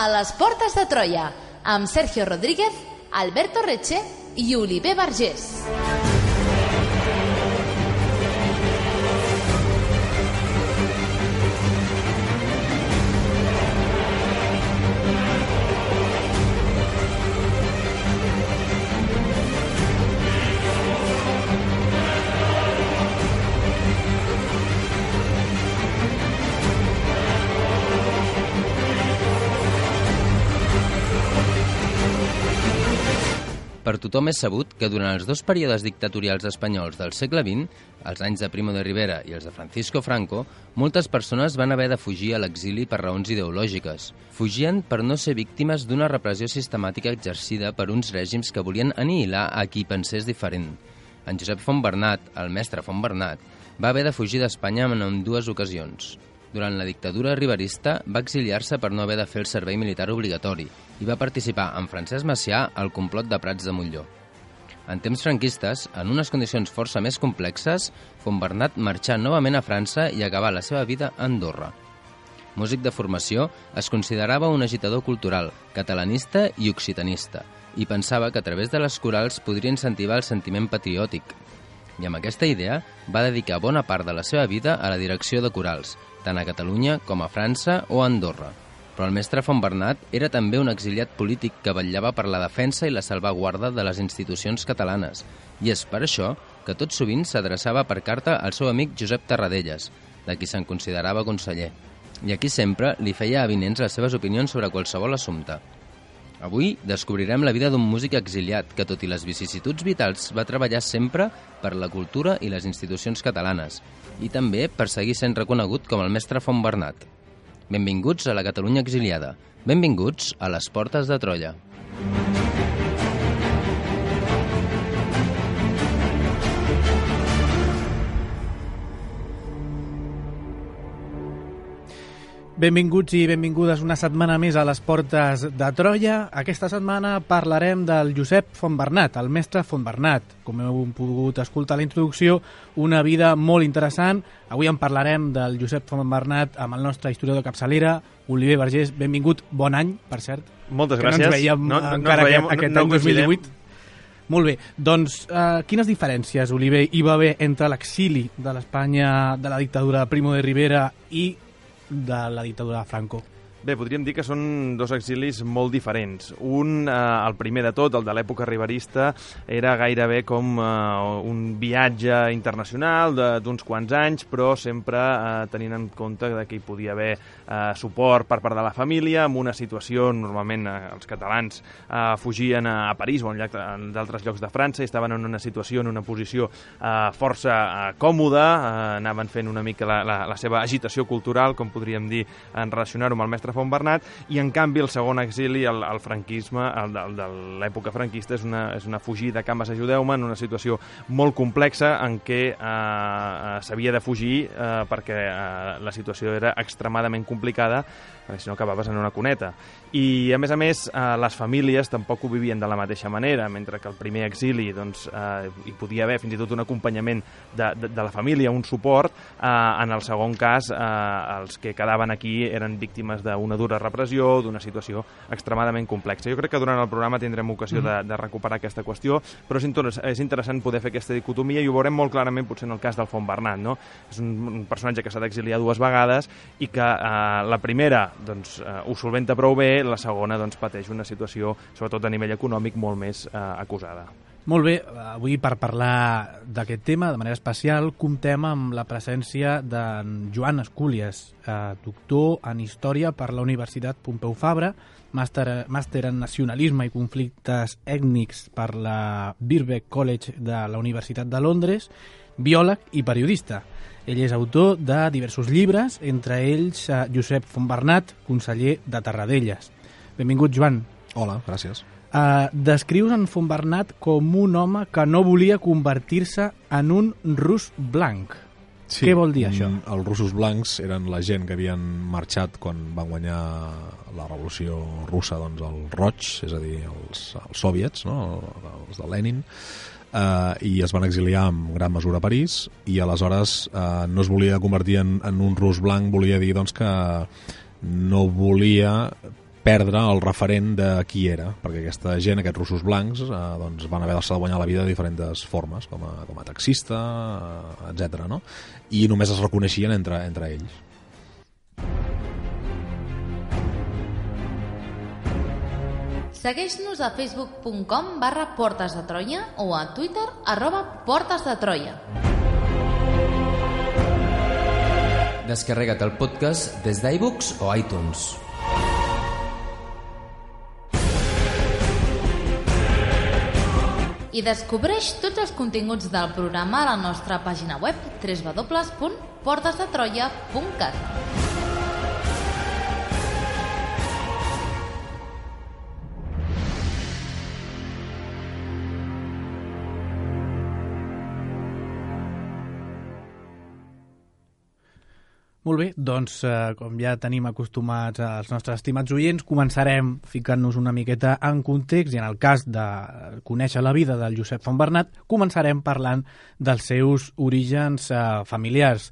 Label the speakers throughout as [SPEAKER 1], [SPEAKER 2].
[SPEAKER 1] A les portes de Troia, amb Sergio Rodríguez, Alberto Reche i Oliver Vergés.
[SPEAKER 2] Per tothom és sabut que durant els dos períodes dictatorials espanyols del segle XX, els anys de Primo de Rivera i els de Francisco Franco, moltes persones van haver de fugir a l'exili per raons ideològiques. Fugien per no ser víctimes d'una repressió sistemàtica exercida per uns règims que volien anihilar a qui pensés diferent. En Josep Fontbernat, el mestre Fontbernat, va haver de fugir d'Espanya en dues ocasions. Durant la dictadura riverista va exiliar-se per no haver de fer el servei militar obligatori i va participar amb Francesc Macià al complot de Prats de Montllor. En temps franquistes, en unes condicions força més complexes, Fontbernat marxà novament a França i acabà la seva vida a Andorra. Músic de formació, es considerava un agitador cultural, catalanista i occitanista, i pensava que a través de les corals podria incentivar el sentiment patriòtic. I amb aquesta idea va dedicar bona part de la seva vida a la direcció de corals, tant a Catalunya com a França o a Andorra. Però el mestre Fontbernat era també un exiliat polític que vetllava per la defensa i la salvaguarda de les institucions catalanes, i és per això que tot sovint s'adreçava per carta al seu amic Josep Tarradellas, de qui se'n considerava conseller, i a qui sempre li feia avinents les seves opinions sobre qualsevol assumpte. Avui descobrirem la vida d'un músic exiliat que, tot i les vicissituds vitals, va treballar sempre per la cultura i les institucions catalanes i també per seguir sent reconegut com el mestre Fontbernat. Benvinguts a la Catalunya exiliada. Benvinguts a les portes de Troia.
[SPEAKER 3] Benvinguts i benvingudes una setmana més a les portes de Troia. Aquesta setmana parlarem del Josep Fontbernat, el mestre Fontbernat. Com heu pogut escoltar a la introducció, una vida molt interessant. Avui en parlarem del Josep Fontbernat amb el nostre historiador de capçalera, Oliver Vergés. Benvingut, bon any, per cert.
[SPEAKER 4] Moltes gràcies.
[SPEAKER 3] Que no ens veiem encara aquest any 2018. Molt bé, doncs quines diferències, Oliver, hi va haver entre l'exili de l'Espanya de la dictadura de Primo de Rivera i de la dictadura de Franco?
[SPEAKER 4] Bé, podríem dir que són dos exilis molt diferents. Un, el primer de tot, el de l'època riverista, era gairebé com un viatge internacional d'uns quants anys, però sempre tenint en compte que hi podia haver suport per part de la família, amb una situació, normalment els catalans fugien a París o en d'altres llocs de França i estaven en una situació, en una posició força còmoda, anaven fent una mica la seva agitació cultural, com podríem dir, en relacionar-ho amb el mestre Fontbernat, i en canvi el segon exili, el franquisme, el de l'època franquista, és una fugida cap a ajudeu-me en una situació molt complexa en què s'havia de fugir perquè la situació era extremadament complicada, perquè si no acabaves en una cuneta. I, a més, les famílies tampoc ho vivien de la mateixa manera, mentre que el primer exili hi podia haver fins i tot un acompanyament de la família, un suport. En el segon cas, els que quedaven aquí eren víctimes d'una dura repressió, d'una situació extremadament complexa. Jo crec que durant el programa tindrem ocasió de recuperar aquesta qüestió, però és interessant poder fer aquesta dicotomia i ho veurem molt clarament potser en el cas del Fontbernat, no? És un personatge que s'ha d'exiliar dues vegades i que la primera ho solventa prou bé, la segona pateix una situació, sobretot a nivell econòmic, molt més acusada.
[SPEAKER 3] Molt bé, avui per parlar d'aquest tema de manera especial comptem amb la presència d'en Joan Escúlies, doctor en Història per la Universitat Pompeu Fabra, màster en Nacionalisme i Conflictes Ètnics per la Birkbeck College de la Universitat de Londres, biòleg i periodista. Ell és autor de diversos llibres, entre ells Josep Fontbernat, conseller de Tarradellas. Benvingut, Joan.
[SPEAKER 5] Hola, gràcies.
[SPEAKER 3] Descrius en Fontbernat com un home que no volia convertir-se en un rus blanc.
[SPEAKER 5] Sí,
[SPEAKER 3] què vol dir això?
[SPEAKER 5] Els russos blancs eren la gent que havien marxat quan van guanyar la revolució russa, els roigs, és a dir, els soviets, no? Els de Lenin, i es van exiliar en gran mesura a París, i aleshores no es volia convertir en un rus blanc, volia dir que no volia perdre el referent de qui era, perquè aquesta gent, aquests russos blancs, doncs van haver de guanyar la vida de diferents formes, com a taxista, etc. No? I només es reconeixien entre ells.
[SPEAKER 1] Segueix-nos a facebook.com/Portes de Troia o a Twitter @PortesDeTroia.
[SPEAKER 2] Descarrega't el podcast des d'iVoox o iTunes.
[SPEAKER 1] I descobreix tots els continguts del programa a la nostra pàgina web www.portesdetroia.cat.
[SPEAKER 3] Molt bé, doncs com ja tenim acostumats els nostres estimats oients, començarem ficant-nos una miqueta en context i en el cas de conèixer la vida del Josep Fontbernat, començarem parlant dels seus orígens familiars.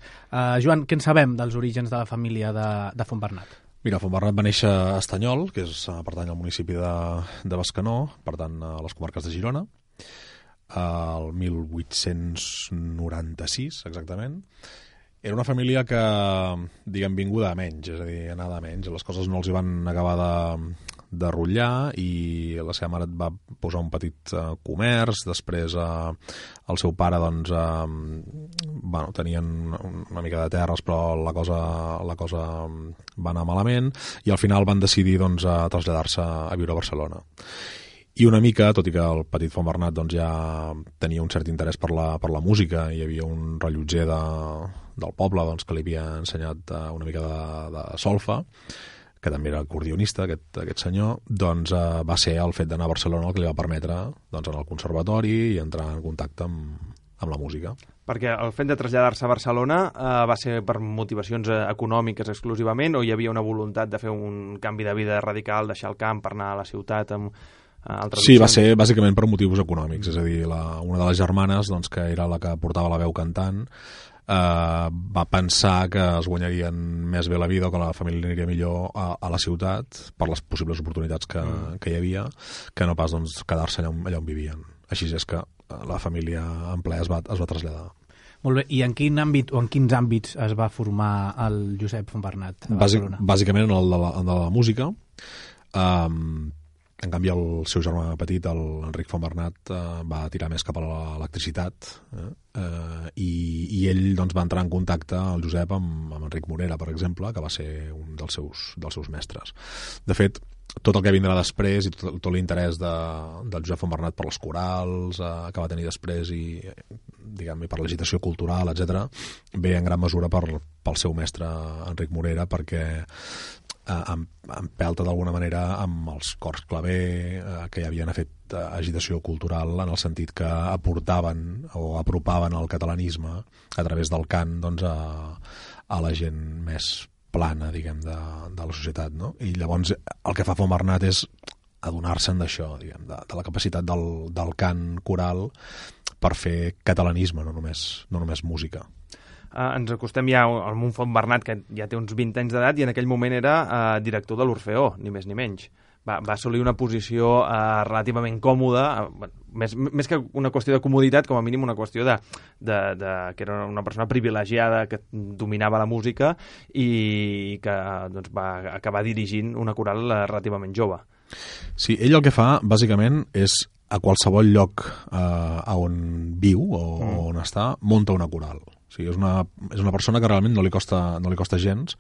[SPEAKER 3] Joan, què en sabem dels orígens de la família de Fontbernat?
[SPEAKER 5] Mira, Fontbernat va néixer a Estanyol, que pertany al municipi de Bescanó, per tant a les comarques de Girona, el 1896 exactament. Era una família que, diguem, vinguda a menys, és a dir, anada a menys. Les coses no els hi van acabar de rotllar i la seva mare va posar un petit comerç. Després el seu pare, doncs, tenien una mica de terres, però la cosa va anar malament i al final van decidir, doncs, traslladar-se a viure a Barcelona. I una mica, tot i que el petit Fontbernat doncs, ja tenia un cert interès per la música, hi havia un rellotger del poble doncs, que li havia ensenyat una mica de solfa, que també era acordionista, aquest senyor, doncs va ser el fet d'anar a Barcelona el que li va permetre doncs, anar al conservatori i entrar en contacte amb la música.
[SPEAKER 4] Perquè el fet de traslladar-se a Barcelona va ser per motivacions econòmiques exclusivament o hi havia una voluntat de fer un canvi de vida radical, deixar el camp per anar a la ciutat amb
[SPEAKER 5] sí, va ser bàsicament per motius econòmics, és a dir, una de les germanes, doncs, que era la que portava la veu cantant, va pensar que es guanyarien més bé la vida o que la família aniria millor a la ciutat per les possibles oportunitats que hi havia, que no pas doncs, quedar-se allà on vivien. Així és que la família en ple es va traslladar.
[SPEAKER 3] Molt bé, i en quin àmbit o en quins àmbits es va formar el Josep Fontbernat a Barcelona?
[SPEAKER 5] Bàsicament en el de la música. En canvi, el seu germà petit, l'Enric Fontbernat, va tirar més cap a l'electricitat i ell doncs, va entrar en contacte, el Josep, amb Enric Morera, per exemple, que va ser un dels seus mestres. De fet, tot el que vindrà després i tot l'interès del Josep Fontbernat per les corals que va tenir després i per l'agitació cultural, etc., ve en gran mesura pel seu mestre Enric Morera, perquè empelta d'alguna manera amb els cors claver que ja havien fet agitació cultural en el sentit que aportaven o apropaven el catalanisme a través del cant doncs, a la gent més plana, diguem, de la societat, no? I llavors el que fa Fontbernat és adonar-se'n d'això, diguem, de la capacitat del cant coral per fer catalanisme, no només música.
[SPEAKER 4] Ens acostem ja a un Fontbernat que ja té uns 20 anys d'edat i en aquell moment era director de l'Orfeó, ni més ni menys. Va assolir una posició relativament còmoda, més que una qüestió de comoditat, com a mínim una qüestió que era una persona privilegiada que dominava la música i que doncs, va acabar dirigint una coral relativament jove.
[SPEAKER 5] Sí, ell el que fa, bàsicament, és a qualsevol lloc on viu o on està, monta una coral. O sigui, és una persona que realment no li costa gens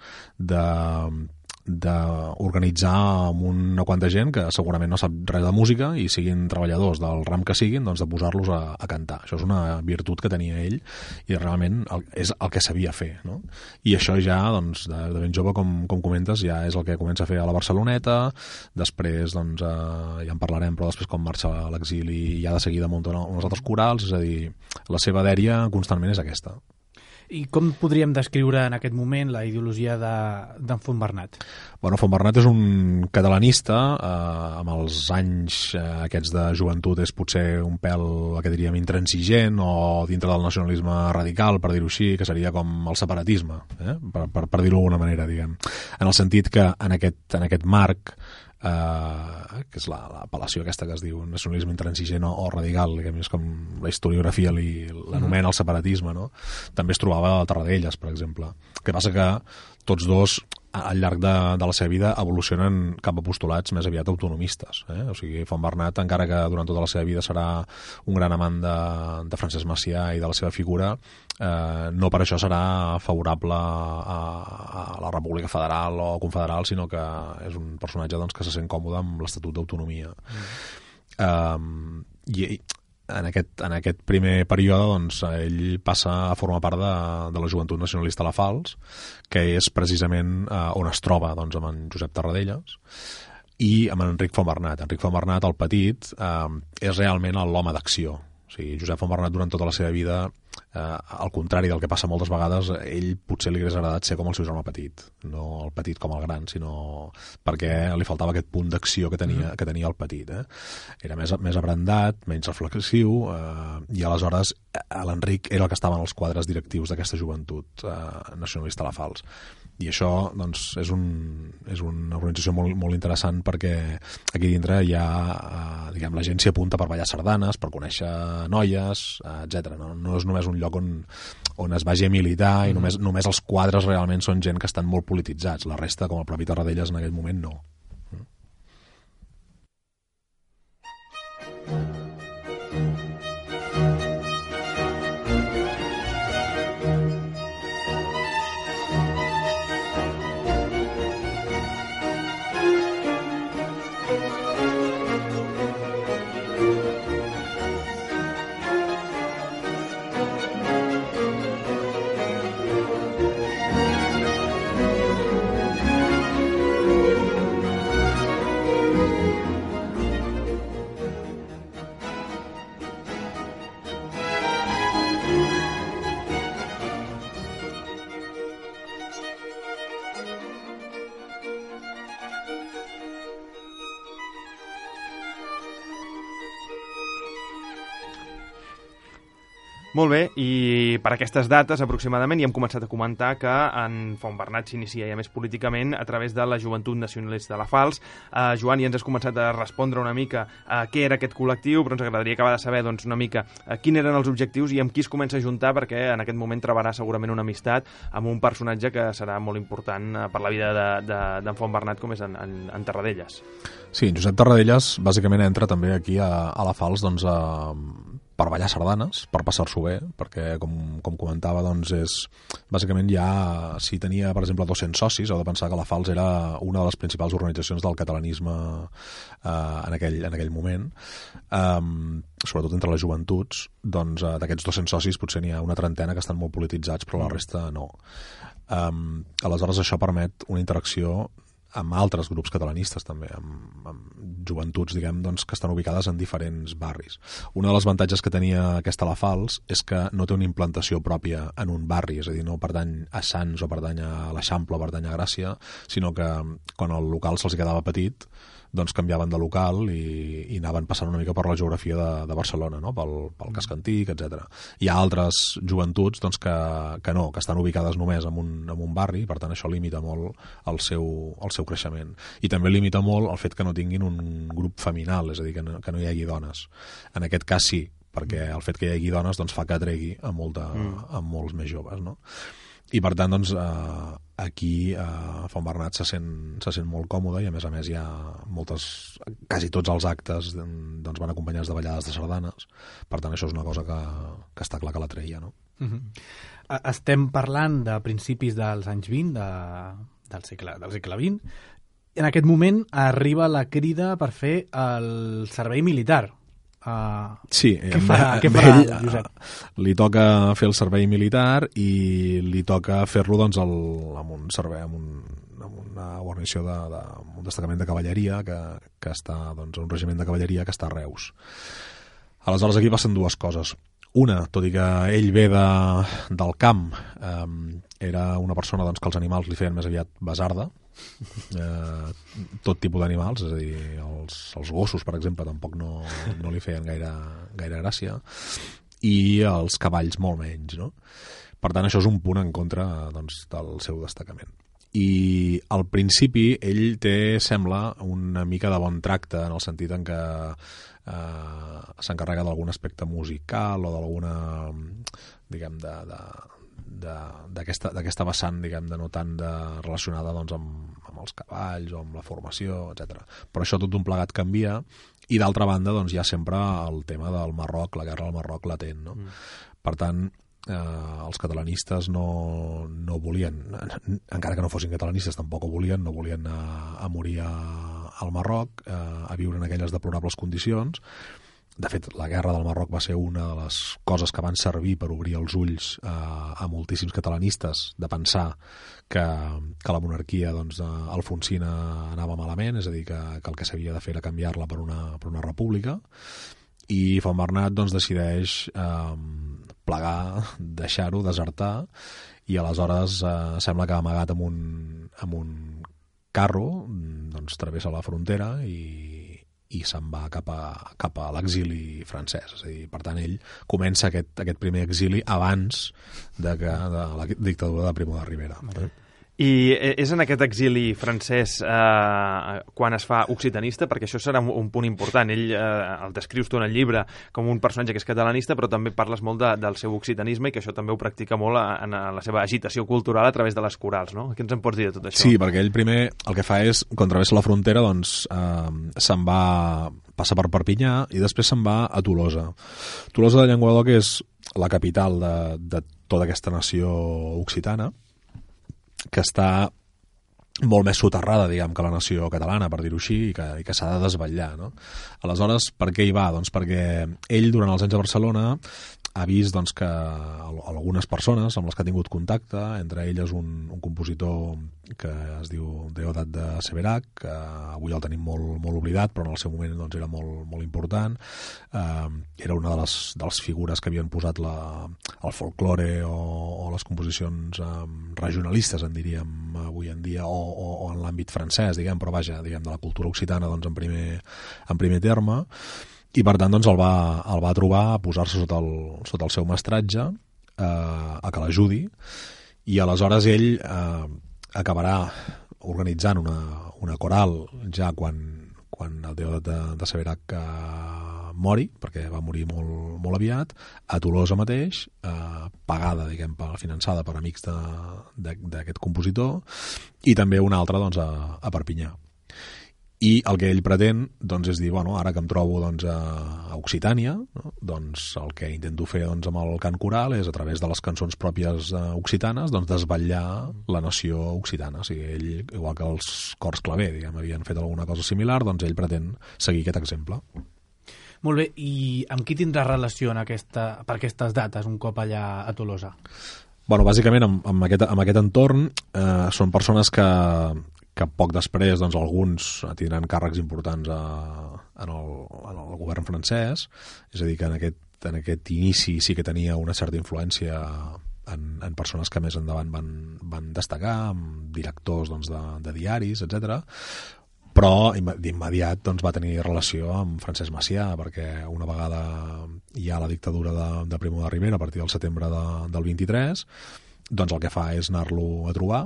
[SPEAKER 5] d'organitzar amb una quanta gent que segurament no sap res de música i siguin treballadors del ram que siguin, doncs de posar-los a cantar. Això és una virtut que tenia ell i realment és el que sabia fer, no? I això ja, doncs, de ben jove, com comentes, ja és el que comença a fer a la Barceloneta, després, doncs, ja en parlarem, però després quan marxa a l'exili ja de seguida munta uns altres corals, és a dir, la seva dèria constantment és aquesta.
[SPEAKER 3] I com podríem descriure en aquest moment la ideologia d'en Fontbernat?
[SPEAKER 5] Bueno, Fontbernat és un catalanista, amb els anys aquests de joventut és potser un pèl, que diríem, intransigent o dintre del nacionalisme radical, per dir-ho així, que seria com el separatisme, per dir-ho d'alguna manera, diguem. En el sentit que en aquest marc, que és l'apel·lació aquesta que es diu nacionalisme intransigent o radical, que és com la historiografia l'anomena el separatisme, no? També es trobava a Tarradellas, per exemple. El que passa que tots dos al llarg de la seva vida evolucionen cap a postulats més aviat autonomistes. O sigui, Fontbernat, encara que durant tota la seva vida serà un gran amant de Francesc Macià i de la seva figura, no per això serà favorable a la República Federal o Confederal, sinó que és un personatge doncs, que se sent còmode amb l'Estatut d'Autonomia. I en aquest primer període doncs, ell passa a formar part de la Joventut Nacionalista a la Falç, que és precisament on es troba doncs, amb en Josep Tarradellas i amb en Enric Fontbernat. Enric Fontbernat, el petit, és realment l'home d'acció. O sigui, Josep Fontbernat durant tota la seva vida, al contrari del que passa moltes vegades, ell potser li hagués agradat ser com el seu germà petit, no el petit com el gran, sinó perquè li faltava aquest punt d'acció que tenia el petit. Era més abrandat, menys reflexiu, i aleshores l'Enric era el que estava en els quadres directius d'aquesta joventut nacionalista a la Falç. I això doncs, és una organització molt, molt interessant perquè aquí dintre hi ha la gent s'hi apunta per ballar sardanes, per conèixer noies, etc. No és només un lloc on es vagi a militar i només els quadres realment són gent que estan molt polititzats. La resta, com el propi Tarradellas en aquell moment, no.
[SPEAKER 4] Molt bé, i per aquestes dates aproximadament ja hem començat a comentar que en Fontbernat s'inicia ja més políticament a través de la Joventut Nacionalista de la Falç. Joan, ja ens has començat a respondre una mica què era aquest col·lectiu, però ens agradaria acabar de saber doncs, una mica quins eren els objectius i amb qui es comença a juntar, perquè en aquest moment trobarà segurament una amistat amb un personatge que serà molt important per la vida d'en Fontbernat, com és en Tarradellas.
[SPEAKER 5] Sí, en Josep Tarradellas bàsicament entra també aquí a la Falç doncs, per ballar sardanes, per passar-s'ho bé, perquè, com comentava, doncs bàsicament ja, si tenia, per exemple, 200 socis, heu de pensar que la Falç era una de les principals organitzacions del catalanisme en aquell moment, sobretot entre les joventuts, doncs d'aquests 200 socis potser n'hi ha una trentena que estan molt polititzats, però la resta no. Aleshores això permet una interacció amb altres grups catalanistes també, amb joventuts, diguem, doncs, que estan ubicades en diferents barris. Un dels avantatges que tenia aquesta la Falç és que no té una implantació pròpia en un barri, és a dir, no pertany a Sants o pertany a l'Eixample o pertany a Gràcia, sinó que quan el local se'ls quedava petit, doncs canviaven de local i anaven passant una mica per la geografia de Barcelona, no? pel casc antic, etc. Hi ha altres joventuts doncs, que no, que estan ubicades només en un barri, per tant això limita molt el seu creixement. I també limita molt el fet que no tinguin un grup feminal, és a dir, que no hi hagi dones. En aquest cas sí, perquè el fet que hi hagi dones doncs, fa que atregui a molts més joves, no? I per tant, doncs, aquí Fontbernat se sent molt còmode i a més hi ha quasi tots els actes doncs, van acompanyats de ballades de sardanes. Per tant, això és una cosa que està clar que l'atreia, no?
[SPEAKER 3] Estem parlant de principis dels anys 20 del segle XX. En aquest moment arriba la crida per fer el servei militar.
[SPEAKER 5] Sí,
[SPEAKER 3] què farà Josep?
[SPEAKER 5] Li toca fer el servei militar i li toca fer-lo doncs, amb un servei, amb una guarnició un destacament de cavalleria que està, doncs, un regiment de cavalleria que està a Reus. Aleshores aquí passen dues coses. Una, tot i que ell ve del camp, era una persona doncs, que els animals li feien més aviat basarda, tot tipus d'animals, és a dir, els gossos, per exemple, tampoc no li feien gaire gràcia, i els cavalls molt menys, no? Per tant, això és un punt en contra doncs, del seu destacament. I al principi ell té, sembla, una mica de bon tracte en el sentit en què s'encarrega d'algun aspecte musical o d'alguna, diguem, d'aquesta vessant, diguem, no tant relacionada doncs, amb els cavalls o amb la formació, etc. Però això tot un plegat canvia i d'altra banda doncs, hi ha sempre el tema del Marroc, la guerra del Marroc latent, no? Per tant, els catalanistes no volien, encara que no fossin catalanistes tampoc ho volien, no volien anar a morir al Marroc, a viure en aquelles deplorables condicions. De fet, la guerra del Marroc va ser una de les coses que van servir per obrir els ulls a moltíssims catalanistes de pensar que la monarquia doncs, alfonsina anava malament, és a dir, que el que s'havia de fer era canviar-la per una república, i Juan Bernat doncs, decideix plegar, deixar-ho, desertar, i aleshores sembla que amagat amb un carro doncs, travessa la frontera i se'n va cap a l'exili francès. És a dir, per tant, ell comença aquest primer exili abans de la dictadura de Primo de Rivera.
[SPEAKER 4] I és en aquest exili francès quan es fa occitanista, perquè això serà un punt important. Ell el descrius tu en el llibre com un personatge que és catalanista, però també parles molt del seu occitanisme i que això també ho practica molt en la seva agitació cultural a través de les corals, no? Què ens en pots dir de tot això?
[SPEAKER 5] Sí, perquè ell primer el que fa és, quan travessa la frontera, doncs se'n va, passa per Perpinyà i després se'n va a Tolosa. Tolosa de Llenguadoc és la capital de tota aquesta nació occitana, que està molt més soterrada, diguem, que la nació catalana, per dir-ho així, i que s'ha de desvetllar, no? Aleshores, per què hi va? Doncs perquè ell, durant els anys a Barcelona, ha vist doncs, que algunes persones amb les que ha tingut contacte, entre elles un compositor que es diu Deodat de Severac, que avui el tenim molt oblidat, però en el seu moment doncs, era molt important. Era una de les figures que havien posat el folklore o les composicions regionalistes, en diríem avui en dia, o en l'àmbit francès, diguem, però vaja, diguem, de la cultura occitana doncs, en primer terme. I per tant doncs, el va trobar a posar-se sota el seu mestratge, a que l'ajudi, i aleshores ell acabarà organitzant una coral ja quan el Deodat de Severac mori, perquè va morir molt aviat, a Tolosa mateix, pagada, diguem, finançada per amics d'aquest compositor, i també una altra doncs, a Perpinyà. I el que ell pretén doncs, és dir, bueno, ara que em trobo doncs, a Occitània, no? Doncs el que intento fer doncs, amb el cant coral és, a través de les cançons pròpies occitanes, doncs, desvetllar la nació occitana. O sigui, ell, igual que els cors claver, diguem, havien fet alguna cosa similar, doncs ell pretén seguir aquest exemple.
[SPEAKER 3] Molt bé, i amb qui tindrà relació per aquestes dates, un cop allà a Tolosa?
[SPEAKER 5] Bueno, bàsicament, amb aquest entorn, són persones que poc després doncs, alguns tindran càrrecs importants en el govern francès, és a dir, que en aquest inici sí que tenia una certa influència en persones que més endavant van destacar, amb directors doncs, de diaris, etc. Però d'immediat doncs, va tenir relació amb Francesc Macià, perquè una vegada hi ha la dictadura de Primo de Rivera a partir del setembre del 23, doncs el que fa és anar-lo a trobar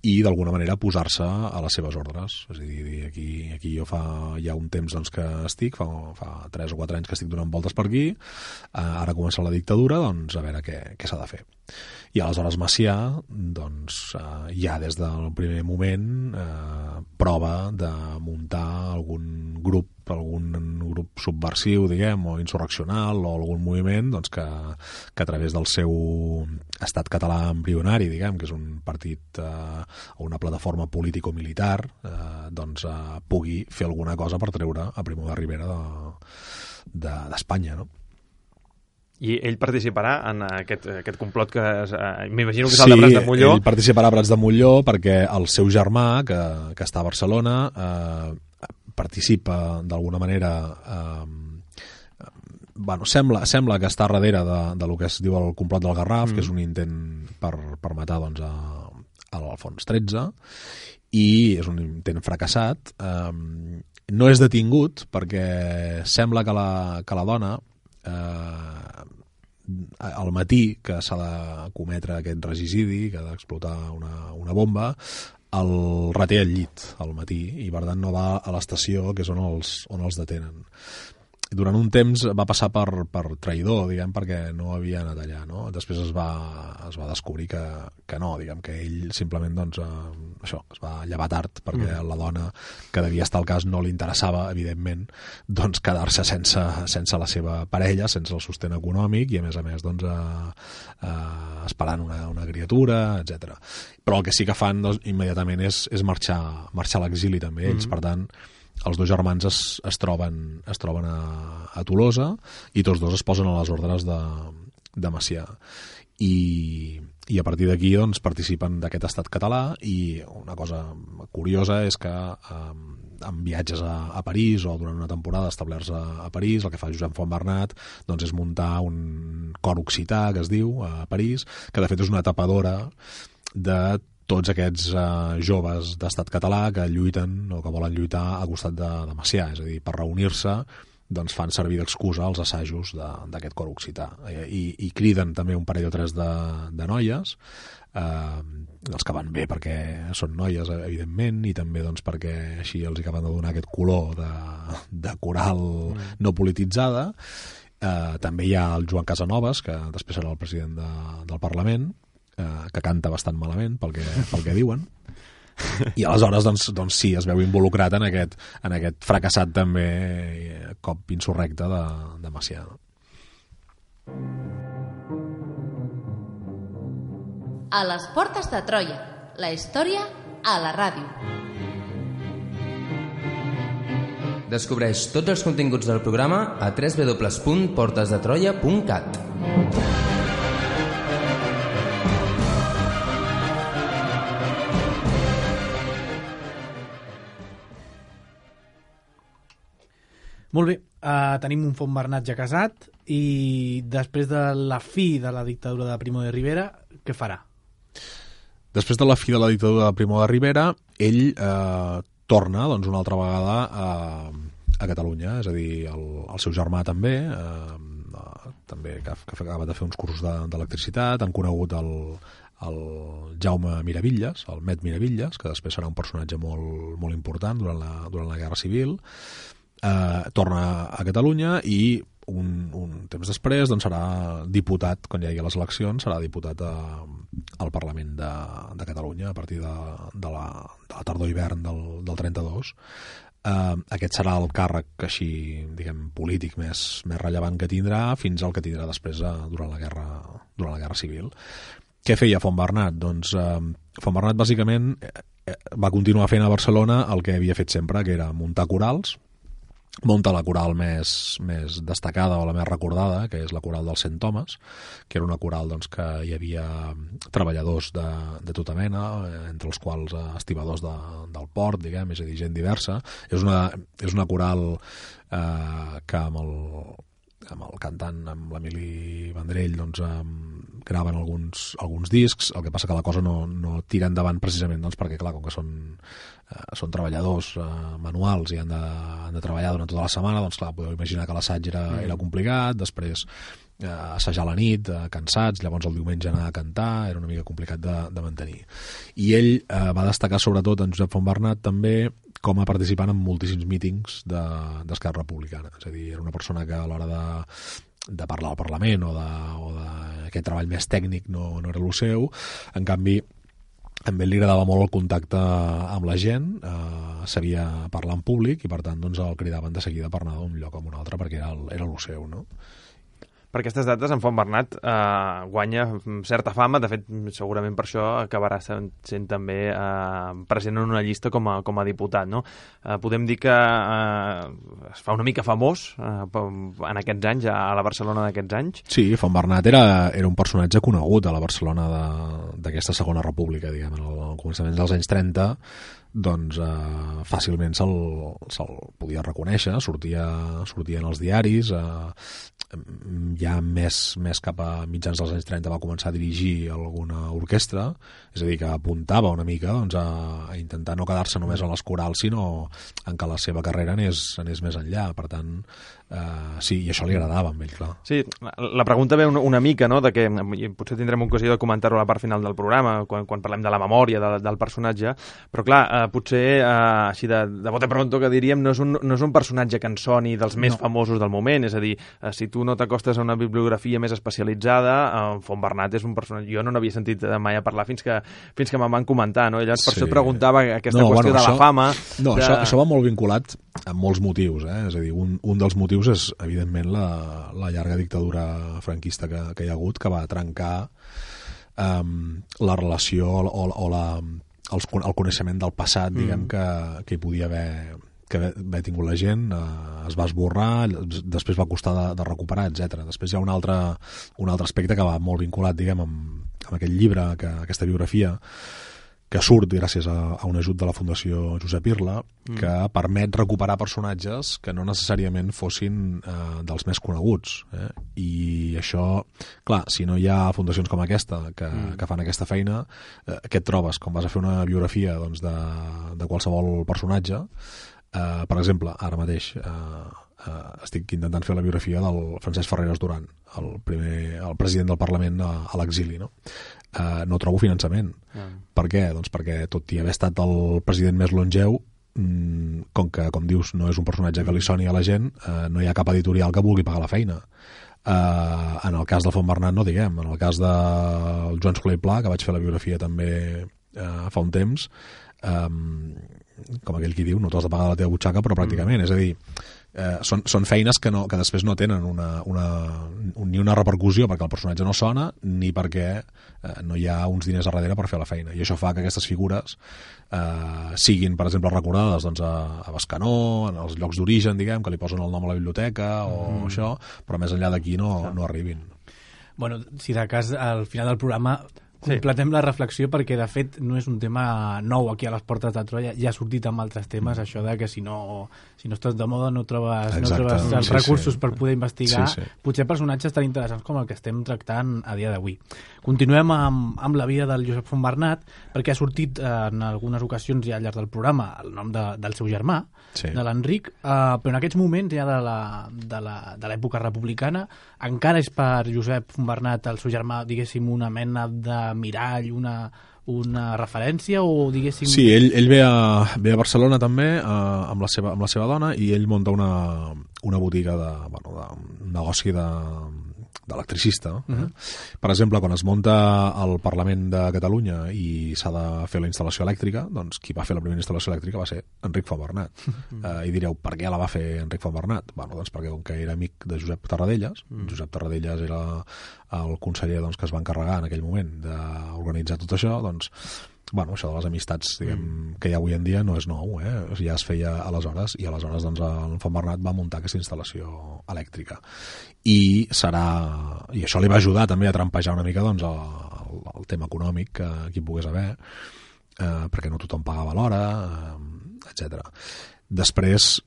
[SPEAKER 5] i d'alguna manera posar-se a les seves ordres. És a dir, aquí jo ja un temps doncs, que estic, fa 3 o 4 anys que estic donant voltes per aquí, ara comença la dictadura, doncs a veure què s'ha de fer. I aleshores Macià, doncs, ja des del primer moment prova de muntar algun grup subversiu, diguem, o insurreccional, o algun moviment doncs, que a través del seu estat català embrionari, diguem, que és un partit o una plataforma político-militar, doncs pugui fer alguna cosa per treure a Primo de Rivera d'Espanya, no?
[SPEAKER 4] I ell participarà en aquest complot que m'imagino que és el de Prats de Molló.
[SPEAKER 5] Sí, ell participarà a Prats de Molló perquè el seu germà, que està a Barcelona, participa d'alguna manera sembla que està darrere de lo que es diu el complot del Garraf, que és un intent per matar doncs, a l'Alfons XIII, i és un intent fracassat. No és detingut perquè sembla que la dona al matí que s'ha de cometre aquest regicidi, que ha d'explotar una bomba, el reté al llit al matí i per tant no va a l'estació, que és on els detenen. Durant un temps va passar per traïdor, diguem, perquè no havia anat allà, no? Després es va descobrir que no, diguem, que ell simplement doncs, es va llevar tard perquè la dona que devia estar al cas no li interessava, evidentment, doncs quedar-se sense la seva parella, sense el sostén econòmic i a més doncs, esperant una criatura, etc. Però el que sí que fan doncs, immediatament és marxar a l'exili també, ells, per tant, els dos germans es troben a Tolosa i tots dos es posen a les ordres de Macià i a partir d'aquí doncs, participen d'aquest estat català. I una cosa curiosa és que en viatges a París o durant una temporada establerts a París, el que fa Josep Fontbernat doncs, és muntar un cor occità que es diu a París, que de fet és una tapadora de tots aquests joves d'estat català que lluiten o que volen lluitar a costat de Macià, és a dir, per reunir-se doncs fan servir d'excusa els assajos d'aquest cor occità i criden també un parell o tres de noies, els que van bé perquè són noies, evidentment, i també doncs, perquè així els acaben de donar aquest color de coral no polititzada. També hi ha el Joan Casanovas, que després serà el president del Parlament, que canta bastant malament pel que diuen, i aleshores doncs sí, es veu involucrat en aquest fracassat també cop insurrecte de Macià.
[SPEAKER 1] A les portes de Troia, la història a la ràdio.
[SPEAKER 2] Descobreix tots els continguts del programa a www.portesdetroia.cat.
[SPEAKER 3] Molt bé, tenim un Fontbernat ja casat i després de la fi de la dictadura de Primo de Rivera, què farà?
[SPEAKER 5] Després de la fi de la dictadura de Primo de Rivera, ell torna doncs, una altra vegada a Catalunya, és a dir, el seu germà també que acaba de fer uns cursos d'electricitat, han conegut el Jaume Miravilles, el Met Miravilles, que després serà un personatge molt, molt important durant la Guerra Civil. Torna a Catalunya i un temps després doncs, serà diputat, quan hi hagi les eleccions, serà diputat al Parlament de Catalunya a partir de la tardor-hivern del 32. Aquest serà el càrrec així, diguem, polític més rellevant que tindrà fins al que tindrà després durant la Guerra Civil. Què feia Fontbernat? Doncs Fontbernat bàsicament va continuar fent a Barcelona el que havia fet sempre, que era muntar corals. Munta la coral més destacada o la més recordada, que és la coral del Sant Thomas, que era una coral doncs, que hi havia treballadors de tota mena, entre els quals estibadors del port, diguem, és a dir, gent diversa. És una coral que amb el cantant, amb l'Emili Vendrell, doncs, graven alguns discs. El que passa que la cosa no tira endavant precisament doncs, perquè, clar, com que són treballadors manuals i han de treballar durant tota la setmana, doncs clar, podeu imaginar que l'assaig era complicat, després assajar a la nit, cansats, llavors el diumenge anar a cantar, era una mica complicat de mantenir. I ell va destacar sobretot en Josep Fontbernat també com a participant en moltíssims mítings d'Esquerra Republicana, és a dir, era una persona que a l'hora de parlar al Parlament o d'aquest treball més tècnic no era el seu, en canvi també li agradava molt el contacte amb la gent, sabia parlar en públic i per tant doncs, el cridaven de seguida per anar d'un lloc a un altre perquè era el seu, no?
[SPEAKER 4] Per aquestes dates, en Fontbernat guanya certa fama, de fet, segurament per això acabarà sent també present en una llista com a diputat, no? Podem dir que es fa una mica famós en aquests anys, a la Barcelona d'aquests anys?
[SPEAKER 5] Sí, Fontbernat era un personatge conegut a la Barcelona d'aquesta segona república, diguem, al començament dels anys 30, doncs fàcilment se'l podia reconèixer, sortia en els diaris, ja més cap a mitjans dels anys 30 va començar a dirigir alguna orquestra, és a dir, que apuntava una mica doncs, a intentar no quedar-se només en les corals, sinó en que la seva carrera anés més enllà. Per tant, sí, i això li agradava amb ell, clar.
[SPEAKER 4] Sí, la pregunta ve una mica, no?, de que potser tindrem ocasió de comentar-ho a la part final del programa, quan parlem de la memòria del personatge, però clar, potser així de bote pronto que diríem, no és un personatge que en soni dels més famosos del moment, és a dir, si tu no t'acostes a una bibliografia més especialitzada, Fontbernat és un personatge... Jo no n'havia sentit mai a parlar fins que me'n van comentar, no? I llavors per això et preguntava aquesta qüestió de la fama...
[SPEAKER 5] No, això va molt vinculat amb molts motius, És a dir, un dels motius és, evidentment, la llarga dictadura franquista que hi ha hagut, que va trencar la relació o el coneixement del passat, diguem, que hi podia haver tingut la gent, es va esborrar, després va costar de recuperar, etc. Després hi ha un altre aspecte que va molt vinculat, diguem, amb aquest llibre, aquesta biografia, que surt gràcies a un ajut de la Fundació Josep Irla, que permet recuperar personatges que no necessàriament fossin dels més coneguts. I això, clar, si no hi ha fundacions com aquesta que fan aquesta feina, què et trobes quan vas a fer una biografia doncs, de qualsevol personatge? Per exemple, ara mateix estic intentant fer la biografia del Francesc Ferreres Duran, el president del Parlament a l'exili, no? No trobo finançament. Per què? Doncs perquè tot i haver estat el president més longeu, com que, com dius, no és un personatge que li soni a la gent, no hi ha cap editorial que vulgui pagar la feina. En el cas de Fontbernat no diguem, en el cas del Joan Soler i Pla, que vaig fer la biografia també fa un temps, com aquell qui diu, no t'has de pagar de la teva butxaca, però pràcticament, és a dir, són feines que després no tenen ni una repercussió perquè el personatge no sona, ni perquè no hi ha uns diners a darrere per fer la feina, i això fa que aquestes figures siguin, per exemple, recordades doncs, a Bescanó, en els llocs d'origen, diguem, que li posen el nom a la biblioteca o això, però més enllà d'aquí no arribin.
[SPEAKER 3] Bueno, si de cas al final del programa completem la reflexió, perquè de fet no és un tema nou aquí a les portes de Troia, ja ha sortit amb altres temes, això de que si no estàs de moda no trobes els recursos per poder investigar potser personatges tan interessants com el que estem tractant a dia d'avui. Continuem amb la vida del Josep Fontbernat, perquè ha sortit en algunes ocasions ja al llarg del programa el nom del seu germà, de l'Enric, però en aquests moments ja de l'època republicana encara és per Josep Fontbernat el seu germà, diguéssim, una mena de mirall, una referència, o diguéssim...
[SPEAKER 5] Sí, ell ve a Barcelona també amb la seva dona, i ell munta una botiga un negoci d'electricista. Per exemple, quan es munta el Parlament de Catalunya i s'ha de fer la instal·lació elèctrica, doncs qui va fer la primera instal·lació elèctrica va ser Enric Fontbernat. I direu, per què la va fer Enric Fontbernat? Doncs perquè com que era amic de Josep Tarradellas, Josep Tarradellas era el conseller que es va encarregar en aquell moment d'organitzar tot això, doncs això de les amistats, diguem, que hi ha avui en dia no és nou, ja es feia aleshores, i aleshores doncs, el Fontbernat va muntar aquesta instal·lació elèctrica. I això li va ajudar també a trampejar una mica doncs, el tema econòmic que hi pogués haver, perquè no tothom pagava l'hora, etc. Després,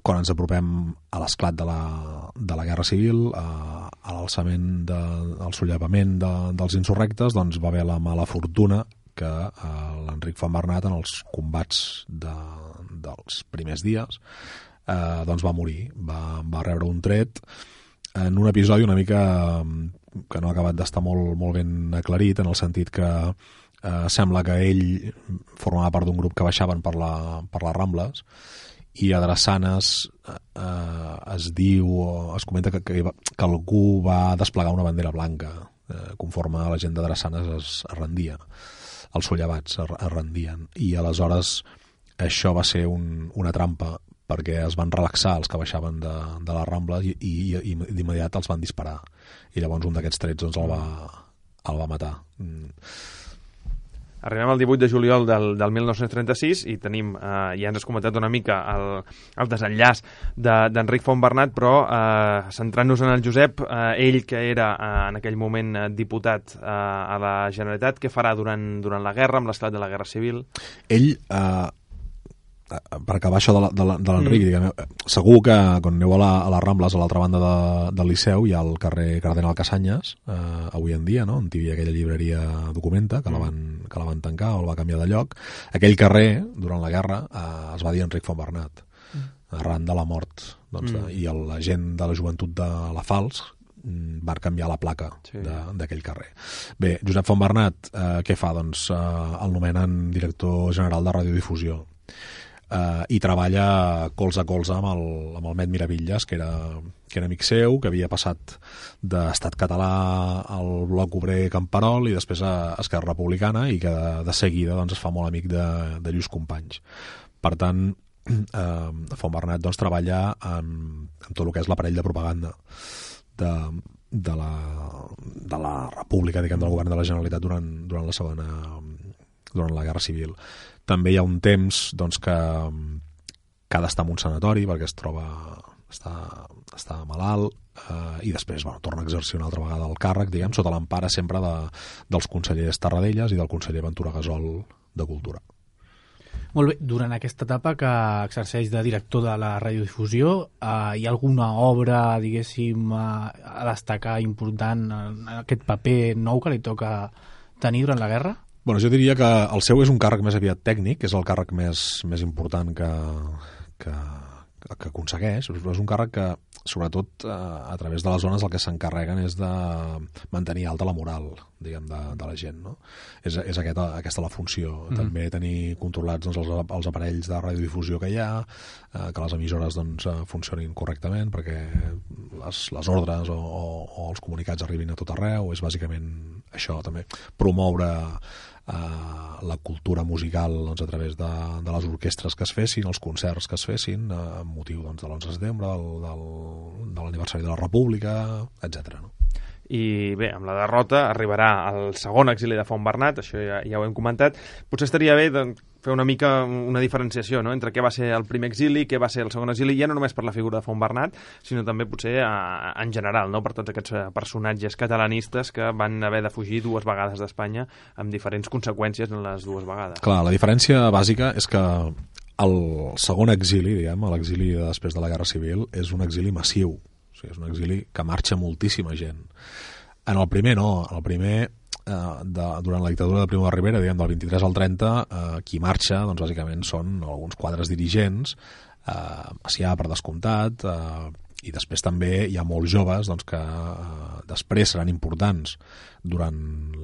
[SPEAKER 5] quan ens apropem a l'esclat de la Guerra Civil, a l'alçament del sollevament dels insurrectes, doncs va haver la mala fortuna que l'Enric Fontbernat, en els combats dels primers dies, doncs va morir, va rebre un tret en un episodi una mica que no ha acabat d'estar molt ben aclarit, en el sentit que sembla que ell formava part d'un grup que baixaven per les Rambles, i a Drassanes es comenta que algú va desplegar una bandera blanca conforme la gent de Drassanes es rendia, els sollevats es rendien, i aleshores això va ser una trampa, perquè es van relaxar els que baixaven de les Rambles i d'immediat els van disparar, i llavors un d'aquests trets doncs, el va matar.
[SPEAKER 4] Arribem al 18 de juliol del 1936 i tenim, ja ens has comentat una mica el desenllaç d'Enric Fontbernat, però centrant-nos en el Josep, ell que era en aquell moment diputat a la Generalitat, què farà durant la guerra, amb l'esclat de la Guerra Civil?
[SPEAKER 5] Ell per acabar això de l'Enric, segur que quan aneu a les Rambles, a l'altra banda del Liceu, hi ha el carrer Cardenal Cassanyes, avui en dia, no? On hi havia aquella llibreria Documenta, que la van tancar o la va canviar de lloc. Aquell carrer, durant la guerra, es va dir Enric Fontbernat, arran de la mort. I la gent de la joventut de la Fals van canviar la placa d'aquell carrer. Bé, Josep Fontbernat, què fa? Doncs el nomenen director general de radiodifusió i treballa colze a colze amb el Met Miravilles, que era amic seu, que havia passat d'Estat Català al Bloc Obrer Camperol i després a Esquerra Republicana, i que de seguida doncs, es fa molt amic de Lluís Companys. Per tant, Fontbernat doncs, treballa amb tot el que és l'aparell de propaganda de la República, diguem, del govern de la Generalitat durant la Guerra Civil. També hi ha un temps doncs, que ha d'estar en un sanatori perquè està malalt, i després torna a exercir una altra vegada el càrrec, diguem, sota l'empara sempre dels consellers Tarradellas i del conseller Ventura Gasol de Cultura.
[SPEAKER 3] Molt bé, durant aquesta etapa que exerceix de director de la radiodifusió, hi ha alguna obra, diguéssim, a destacar important en aquest paper nou que li toca tenir durant la guerra?
[SPEAKER 5] Bueno, jo diria que el seu és un càrrec més aviat tècnic, és el càrrec més important que aconsegueix, però és un càrrec que, sobretot, a través de les zones el que s'encarreguen és de mantenir alta la moral, diguem, de la gent, no? És aquesta la funció. També tenir controlats doncs, els aparells de radiodifusió que hi ha, que les emissores doncs, funcionin correctament perquè les ordres o els comunicats arribin a tot arreu. És bàsicament això, també. Promoure la cultura musical doncs, a través de les orquestres que es fessin, els concerts que es fessin, amb motiu doncs, de l'11 de setembre, de l'aniversari de la República, etc. No?
[SPEAKER 4] I bé, amb la derrota arribarà el segon exili de Fontbernat, això ja ho hem comentat. Potser estaria bé fer una mica una diferenciació, no?, entre què va ser el primer exili, què va ser el segon exili, ja no només per la figura de Fontbernat, sinó també potser en general, no?, per tots aquests personatges catalanistes que van haver de fugir 2 vegades d'Espanya amb diferents conseqüències en les 2 vegades.
[SPEAKER 5] Clar, la diferència bàsica és que el segon exili, diguem, l'exili després de la Guerra Civil, és un exili massiu. O sigui, és un exili que marxa moltíssima gent. En el primer no, en el primer durant la dictadura de Primo de Rivera, diguem, del 23 al 30, qui marxa, doncs bàsicament són alguns quadres dirigents, Macià per descomptat, i després també hi ha molts joves doncs, que després seran importants durant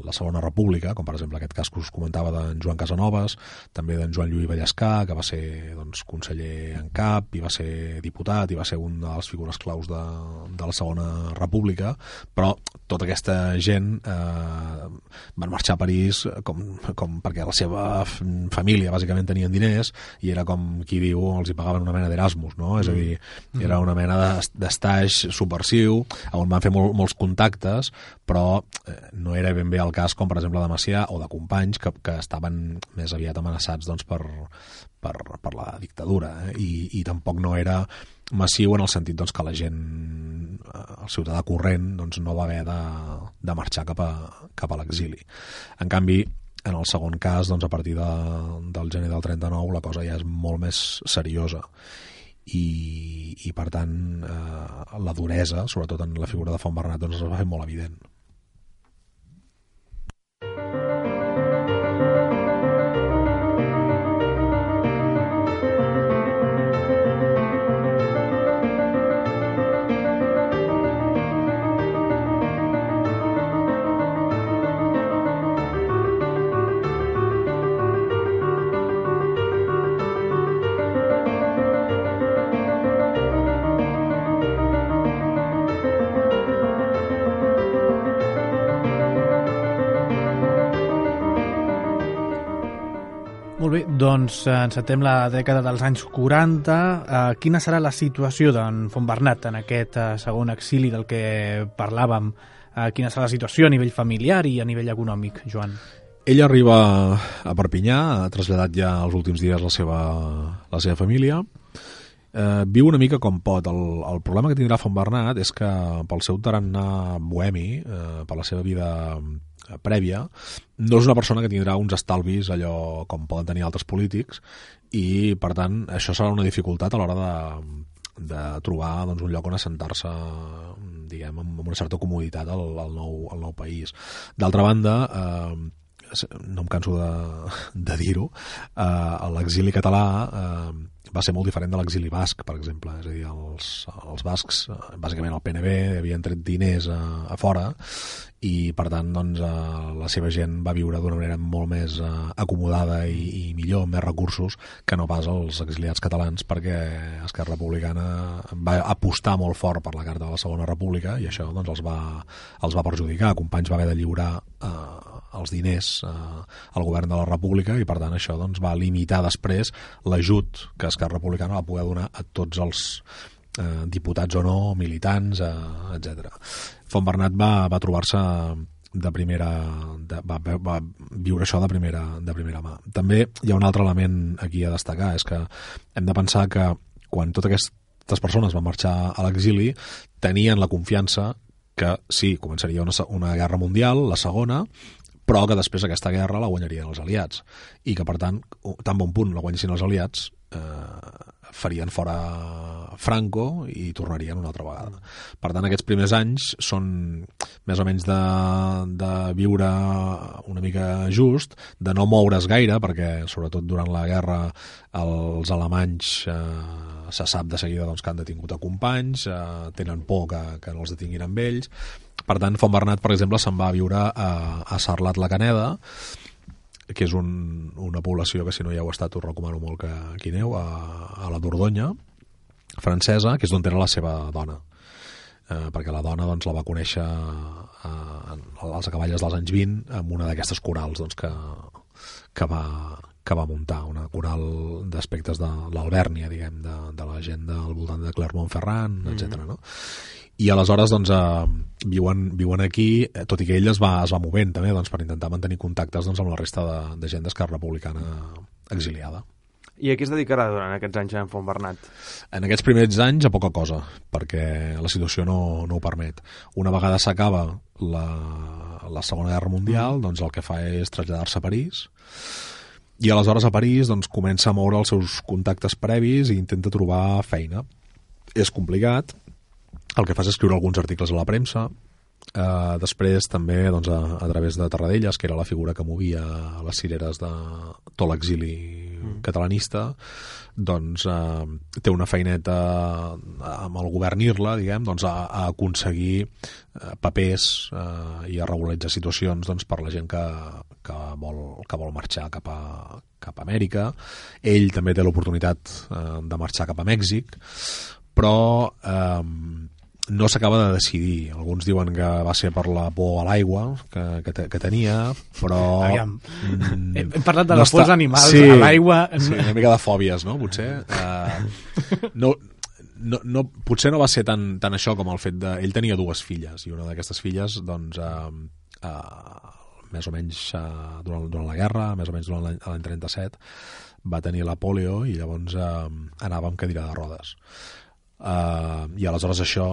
[SPEAKER 5] la Segona República, com per exemple aquest cas que us comentava d'en Joan Casanovas, també d'en Joan Lluís Vallescà, que va ser doncs, conseller en cap, i va ser diputat, i va ser una de les figures claus de la Segona República, però tota aquesta gent van marxar a París com perquè la seva família bàsicament tenien diners, i era com qui diu, els hi pagaven una mena d'Erasmus, no? És a dir, era una mena d'estaix subversiu, on van fer molts contactes, però no era ben bé el cas com per exemple de Macià o de Companys, que estaven més aviat amenaçats doncs, per la dictadura, i tampoc no era massiu en el sentit doncs, que la gent, el ciutadà corrent, doncs, no va haver de marxar cap a l'exili. En canvi, en el segon cas, doncs, a partir del gener del 39, la cosa ja és molt més seriosa. I per tant, la duresa, sobretot en la figura de Fontbernat, doncs, es va fer molt evident.
[SPEAKER 3] Molt bé, doncs encetem la dècada dels anys 40. Quina serà la situació d'en Fontbernat en aquest segon exili del que parlàvem? Quina serà la situació a nivell familiar i a nivell econòmic, Joan?
[SPEAKER 5] Ell arriba a Perpinyà, ha traslladat ja els últims dies la seva família. viu una mica com pot. El problema que tindrà Fontbernat és que pel seu tarannà bohemi, per la seva vida prèvia, no és una persona que tindrà uns estalvis allò com poden tenir altres polítics, i per tant això serà una dificultat a l'hora de trobar doncs, un lloc on assentar-se, diguem, amb una certa comoditat al nou país. D'altra banda, no em canso de dir-ho, l'exili català va ser molt diferent de l'exili basc, per exemple. És a dir, els bascs, bàsicament el PNB, havien tret diners a fora, i per tant doncs, la seva gent va viure d'una manera molt més acomodada i millor, amb més recursos, que no pas els exiliats catalans, perquè Esquerra Republicana va apostar molt fort per la Carta de la Segona República, i això doncs, els va perjudicar. Companys va haver de lliurar els diners al govern de la República, i per tant això doncs, va limitar després l'ajut que Esquerra Republicana va poder donar a tots els diputats o no, militants, etc. Fontbernat va trobar-se de primera... va viure això de primera mà. També hi ha un altre element aquí a destacar, és que hem de pensar que quan totes aquestes persones van marxar a l'exili tenien la confiança que sí, començaria una guerra mundial, la segona, però que després aquesta guerra la guanyarien els aliats, i que per tant, tan bon punt la guanyessin els aliats, farien fora Franco i tornarien una altra vegada. Per tant, aquests primers anys són més o menys de viure una mica just, de no moure's gaire, perquè sobretot durant la guerra els alemanys se sap de seguida doncs, que han detingut a companys, tenen por que no els detinguin amb ells. Per tant, Fontbernat, per exemple, se'n va a viure a Sarlat-la-Caneda, que és una població que si no hi heu estat us recomano molt que hi aneu, a la Dordonya francesa, que és d'on era la seva dona, perquè la dona doncs, la va conèixer als acaballes dels anys 20 amb una d'aquestes corals doncs, que va muntar, una coral d'aspectes de l'Alvèrnia, diguem, de la gent del voltant de Clermont-Ferrand, etc. No? I aleshores doncs, viuen aquí, tot i que ell es va movent també doncs, per intentar mantenir contactes doncs, amb la resta de gent d'Esquerra Republicana exiliada.
[SPEAKER 4] I a què es dedicarà durant aquests anys en Fontbernat?
[SPEAKER 5] En aquests primers anys a poca cosa, perquè la situació no ho permet. Una vegada s'acaba la Segona Guerra Mundial, doncs el que fa és traslladar-se a París, i aleshores a París doncs, comença a moure els seus contactes previs i intenta trobar feina. És complicat, el que fa és escriure alguns articles a la premsa, després també doncs, a través de Tarradellas, que era la figura que movia les cireres de tot l'exili catalanista, doncs té una feineta amb el govern Irla, diguem, doncs, a aconseguir papers i a regularitzar situacions doncs, per la gent que vol marxar cap a Amèrica. Ell també té l'oportunitat de marxar cap a Mèxic, però no s'acaba de decidir. Alguns diuen que va ser per la por a l'aigua que tenia, però...
[SPEAKER 3] Hem parlat de les pors animals, sí, a l'aigua...
[SPEAKER 5] Sí, una mica de fòbies, no? Potser. Potser no va ser tan això com el fet de... Ell tenia dues filles, i una d'aquestes filles, doncs, més o menys durant la guerra, més o menys durant l'any 37, va tenir la pòlio i llavors anava amb cadira de rodes. I aleshores això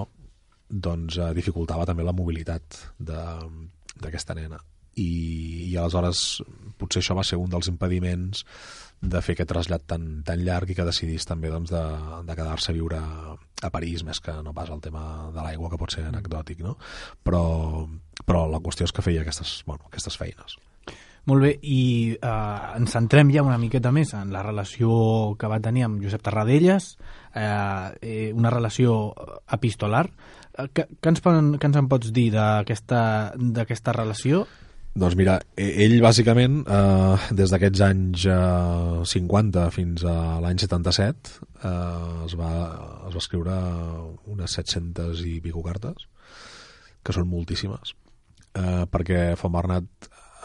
[SPEAKER 5] doncs dificultava també la mobilitat d'aquesta nena, i aleshores potser això va ser un dels impediments de fer aquest trasllat tan llarg, i que decidís també doncs, de quedar-se a viure a París, més que no pas el tema de l'aigua, que pot ser anecdòtic, no? Però la qüestió és que feia aquestes feines.
[SPEAKER 3] Molt bé, i ens centrem ja una miqueta més en la relació que va tenir amb Josep Tarradellas, una relació epistolar. Què ens en pots dir d'aquesta relació?
[SPEAKER 5] Doncs mira, ell bàsicament des d'aquests anys 50 fins a l'any 77 es va escriure unes 700 i pico cartes, que són moltíssimes, perquè Fontbernat,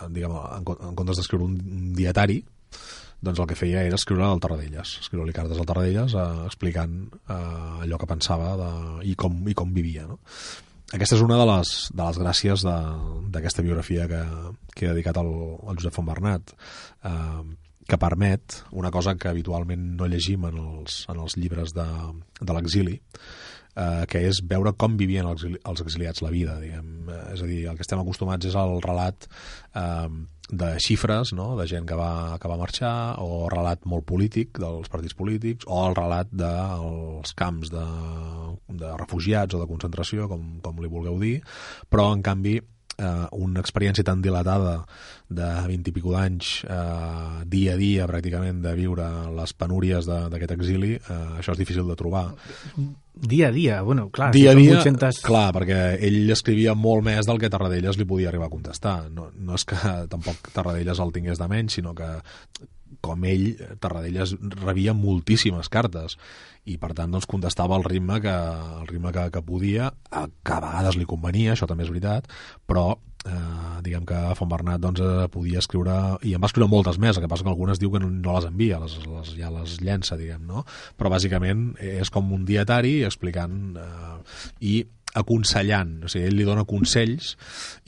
[SPEAKER 5] diguem, en comptes d'escriure un dietari, doncs el que feia era escriure al Tarradellas, escriure-li cartes al Tarradellas explicant allò que pensava i com vivia, no? Aquesta és una de les gràcies d'aquesta biografia que he dedicat al Josep Fontbernat. que permet una cosa que habitualment no llegim en els llibres de l'exili, que és veure com vivien els exiliats la vida, diguem. És a dir, el que estem acostumats és al relat de xifres, no?, de gent que va marxar, o relat molt polític dels partits polítics, o el relat dels camps de refugiats o de concentració, com li vulgueu dir, però en canvi una experiència tan dilatada de 20 i pico d'anys, dia a dia pràcticament, de viure les penúries d'aquest exili, això és difícil de trobar.
[SPEAKER 3] Dia a dia, bueno, clar.
[SPEAKER 5] Dia a dia,
[SPEAKER 3] 800...
[SPEAKER 5] clar, perquè ell escrivia molt més del que Tarradellas li podia arribar a contestar. No és que tampoc Tarradellas el tingués de menys, sinó que com ell, Tarradellas rebia moltíssimes cartes i per tant doncs, contestava al ritme que podia, que a vegades li convenia, això també és veritat, però diguem que Fontbernat doncs, podia escriure, i en va escriure moltes més, el que passa que algunes diu que no les envia, ja les llença, diguem, no? Però bàsicament és com un dietari explicant i aconsellant, o sigui, ell li dona consells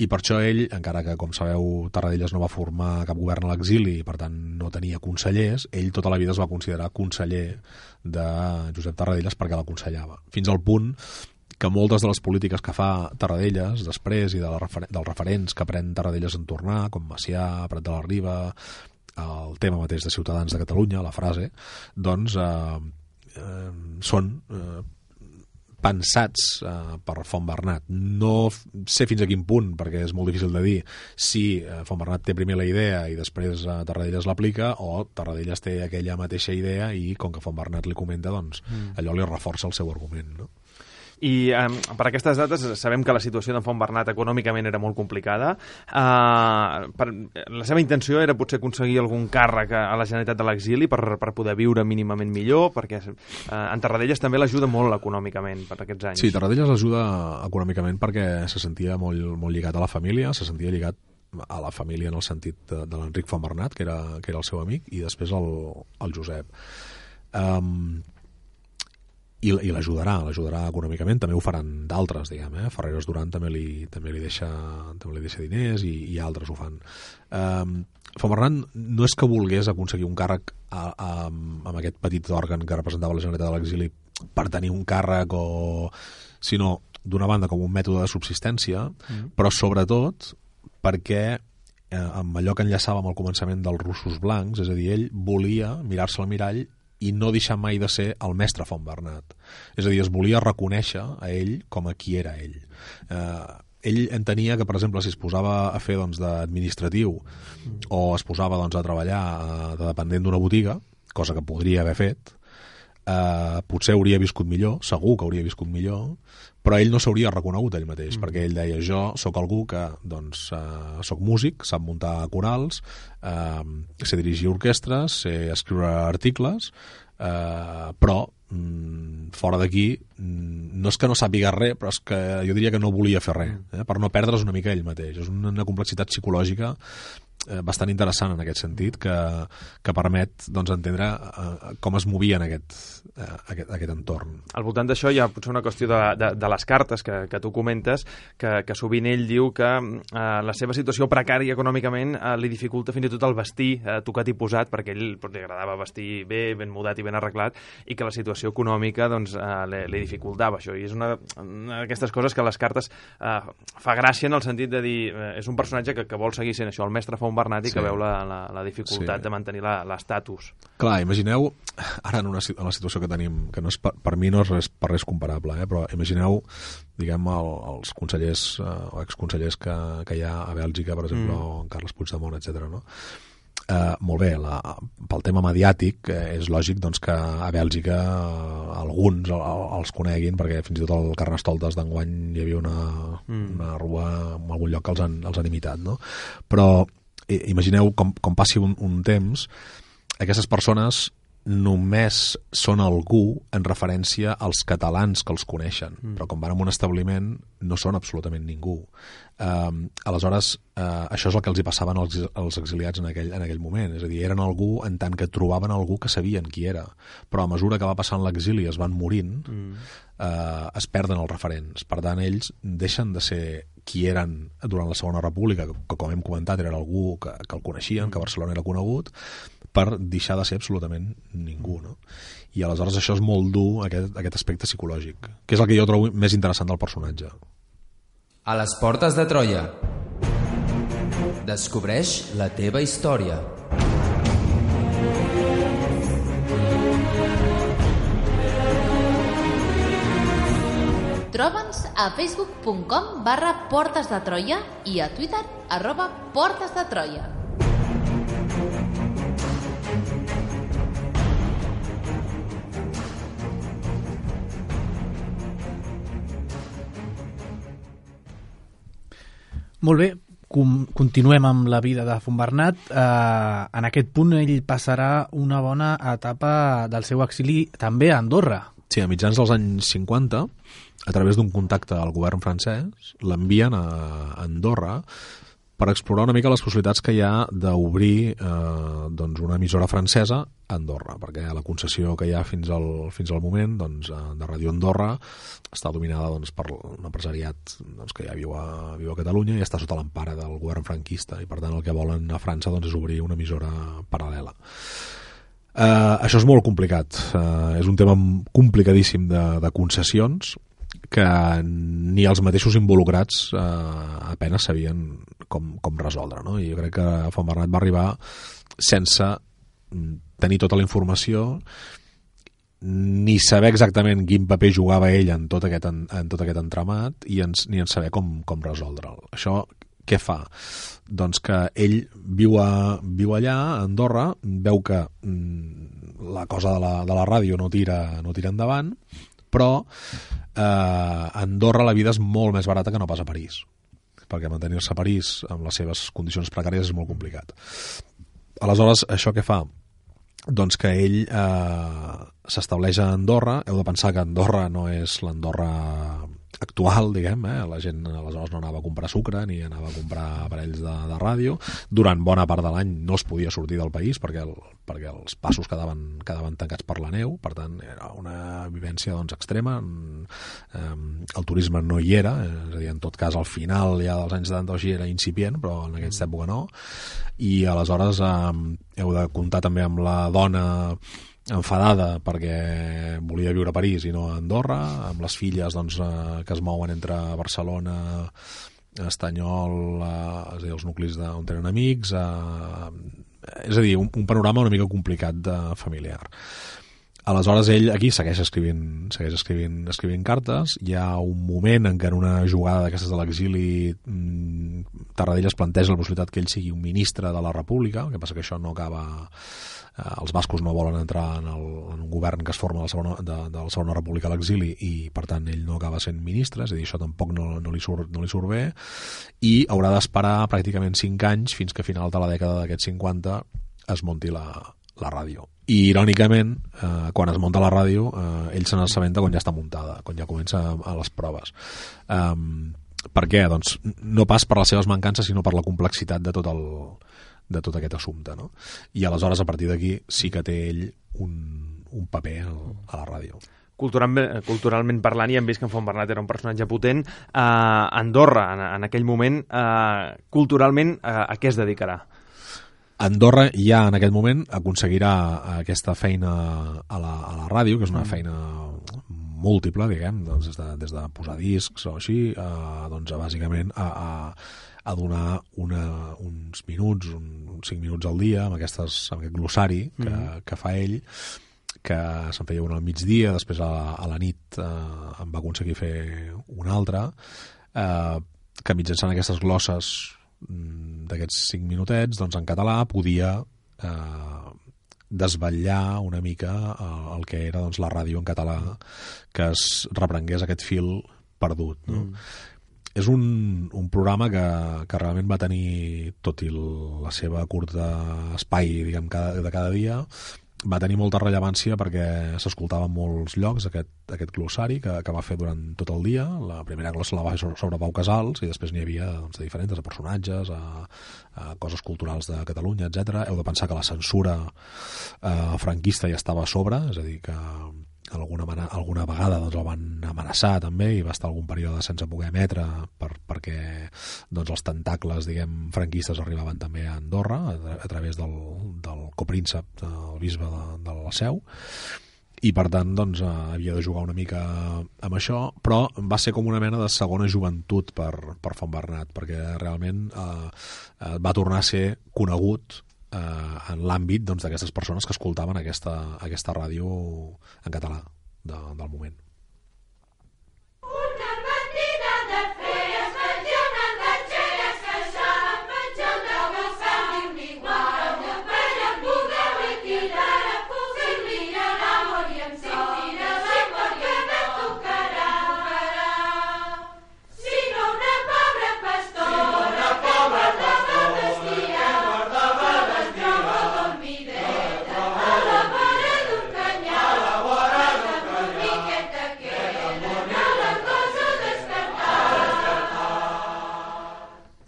[SPEAKER 5] i per això ell, encara que com sabeu Tarradellas no va formar cap govern a l'exili i per tant no tenia consellers, ell tota la vida es va considerar conseller de Josep Tarradellas perquè l'aconsellava, fins al punt que moltes de les polítiques que fa Tarradellas després i dels referents que pren Tarradellas en tornar, com Macià, Prat de la Riba, el tema mateix de Ciutadans de Catalunya, la frase, doncs són pensats per Fontbernat. No sé fins a quin punt, perquè és molt difícil de dir si Fontbernat té primer la idea i després Tarradellas l'aplica, o Tarradellas té aquella mateixa idea i com que Fontbernat li comenta, doncs allò li reforça el seu argument, no?
[SPEAKER 4] I per aquestes dates sabem que la situació d'en Fontbernat econòmicament era molt complicada. La seva intenció era potser aconseguir algun càrrec a la Generalitat de l'exili per poder viure mínimament millor, perquè en Tarradellas també l'ajuda molt econòmicament per aquests anys.
[SPEAKER 5] Sí, Tarradellas l'ajuda econòmicament perquè se sentia molt, molt lligat a la família, se sentia lligat a la família en el sentit de l'Enric Fontbernat, que era el seu amic, i després el Josep. I l'ajudarà econòmicament, també ho faran d'altres, diguem, Ferreres Duran també li deixa diners i altres ho fan. Fontbernat no és que volgués aconseguir un càrrec amb aquest petit òrgan que representava la Generalitat de l'exili per tenir un càrrec, sinó d'una banda com un mètode de subsistència, però sobretot perquè amb allò que enllaçava amb el començament dels russos blancs, és a dir, ell volia mirar-se al mirall i no deixar mai de ser el mestre Fontbernat. És a dir, es volia reconèixer a ell com a qui era ell. Ell entenia que, per exemple, si es posava a fer d'administratiu o es posava a treballar de dependent d'una botiga, cosa que podria haver fet, potser hauria viscut millor, segur que hauria viscut millor, però ell no s'hauria reconegut ell mateix, perquè ell deia, jo sóc algú que sóc músic, sap muntar corals, sé dirigir orquestres, sé escriure articles, però fora d'aquí no és que no sàpiga res, però és que jo diria que no volia fer res, per no perdre's una mica ell mateix. És una complexitat psicològica bastant interessant en aquest sentit, que permet entendre com es movia en aquest entorn.
[SPEAKER 4] Al voltant d'això hi ha potser una qüestió de les cartes que tu comentes, que sovint ell diu que la seva situació precària econòmicament li dificulta fins i tot el vestir tocat i posat, perquè ell li agradava vestir bé, ben mudat i ben arreglat, i que la situació econòmica li dificultava això. I és una d'aquestes coses que les cartes fa gràcia en el sentit de dir és un personatge que vol seguir sent això, el mestre Fontbernat, i que veu la dificultat de mantenir l'estatus.
[SPEAKER 5] Clar, imagineu, ara en la situació que tenim, que no és per mi no és per res comparable, però imagineu, diguem, els consellers o exconsellers que hi ha a Bèlgica, per exemple, o en Carles Puigdemont, etc. No? Molt bé, pel tema mediàtic és lògic que a Bèlgica alguns els coneguin, perquè fins i tot al Carnestoltes d'enguany hi havia una rua en algun lloc que els han imitat, no? Però imagineu com passi un temps, aquestes persones només són algú en referència als catalans que els coneixen, però quan van a un establiment no són absolutament ningú. Aleshores, això és el que els hi passaven als exiliats en aquell moment, és a dir, eren algú en tant que trobaven algú que sabien qui era, però a mesura que va passant l'exili es van morint, es perden els referents. Per tant, ells deixen de ser qui eren durant la Segona República, que com hem comentat era algú que el coneixien, que a Barcelona era conegut, per deixar de ser absolutament ningú, no? I aleshores això és molt dur, aquest aspecte psicològic, que és el que jo trobo més interessant del personatge.
[SPEAKER 2] A les portes de Troia. Descobreix la teva història.
[SPEAKER 1] Troba'ns a facebook.com/portesdetroia i a Twitter @portesdetroia.
[SPEAKER 3] Molt bé, continuem amb la vida de Fontbernat. En aquest punt ell passarà una bona etapa del seu exili també a Andorra.
[SPEAKER 5] Sí, a mitjans dels anys 50, a través d'un contacte al govern francès, l'envien a Andorra per explorar una mica les possibilitats que hi ha d'obrir doncs una emissora francesa a Andorra, perquè la concessió que hi ha fins al moment doncs, de Ràdio Andorra està dominada doncs, per un empresariat doncs, que ja viu a Catalunya i està sota l'empara del govern franquista, i per tant el que volen a França doncs, és obrir una emissora paral·lela. Això és molt complicat, és un tema complicadíssim de concessions que ni els mateixos involucrats apenas sabien com resoldre, no? I jo crec que Fontbernat va arribar sense tenir tota la informació ni saber exactament quin paper jugava ell en tot aquest entramat ni en saber com resoldre'l. Això què fa? Doncs que ell viu allà, a Andorra, veu que la cosa de la ràdio no tira endavant, però a Andorra la vida és molt més barata que no pas a París, perquè mantenir-se a París amb les seves condicions precàries és molt complicat. Aleshores, això què fa? Doncs que ell s'estableix a Andorra. Heu de pensar que Andorra no és l'Andorra actual, diguem, la gent aleshores no anava a comprar sucre ni anava a comprar aparells de ràdio. Durant bona part de l'any no es podia sortir del país perquè els passos quedaven tancats per la neu, per tant era una vivència doncs, extrema. El turisme no hi era, és a dir, en tot cas al final ja dels anys 70 així era incipient, però en aquesta època no, i aleshores heu de comptar també amb la dona enfadada perquè volia viure a París i no a Andorra, amb les filles doncs, que es mouen entre Barcelona, Estanyol, és a dir, els nuclis on tenen amics, és a dir, un panorama una mica complicat familiar. Aleshores ell aquí segueix escrivint cartes. Hi ha un moment en què en una jugada d'aquestes de l'exili Tarradellas planteja la possibilitat que ell sigui un ministre de la República, el que passa que això no acaba. Els bascos no volen entrar en un govern que es forma de la Segona República a l'exili i per tant ell no acaba sent ministre, és a dir, això tampoc no li surt bé, i haurà d'esperar pràcticament 5 anys fins que a final de la dècada d'aquests 50 es munti la ràdio. I irònicament, quan es munta la ràdio, ell se n'assabenta quan ja està muntada, quan ja comença a les proves. Per què? Doncs no pas per les seves mancances, sinó per la complexitat de tot aquest assumpte, no? I aleshores a partir d'aquí sí que té ell un paper a la ràdio.
[SPEAKER 4] Culturalment parlant, i hem vist que en Fontbernat era un personatge potent. Andorra, en aquell moment, culturalment, a què es dedicarà?
[SPEAKER 5] Andorra ja en aquest moment aconseguirà aquesta feina a la ràdio, que és una feina múltiple, diguem, doncs des de posar discs o així, doncs bàsicament a donar uns minuts, uns 5 minuts al dia amb aquest glossari que fa ell, que se'n feia un al migdia, després a la nit em va aconseguir fer un altre, que mitjançant aquestes glosses d'aquests 5 minutets, doncs en català podia desvetllar una mica el que era doncs, la ràdio en català, que es reprengués aquest fil perdut, no? És un programa que realment va tenir, tot i la seva curta espai, diguem, de cada dia, va tenir molta rellevància perquè s'escoltava en molts llocs aquest glossari que va fer durant tot el dia. La primera glossa la va fer sobre Pau Casals i després n'hi havia doncs, de diferents, de personatges, a coses culturals de Catalunya, etc. Heu de pensar que la censura franquista ja estava a sobre, és a dir, que alguna vegada doncs, el van amenaçar també i va estar algun període sense poder emetre perquè doncs, els tentacles, diguem, franquistes arribaven també a Andorra a través del copríncep, el bisbe de la Seu, i per tant doncs, havia de jugar una mica amb això, però va ser com una mena de segona joventut per Fontbernat, perquè realment va tornar a ser conegut en l'àmbit d'aquestes persones que escoltaven aquesta ràdio en català del moment.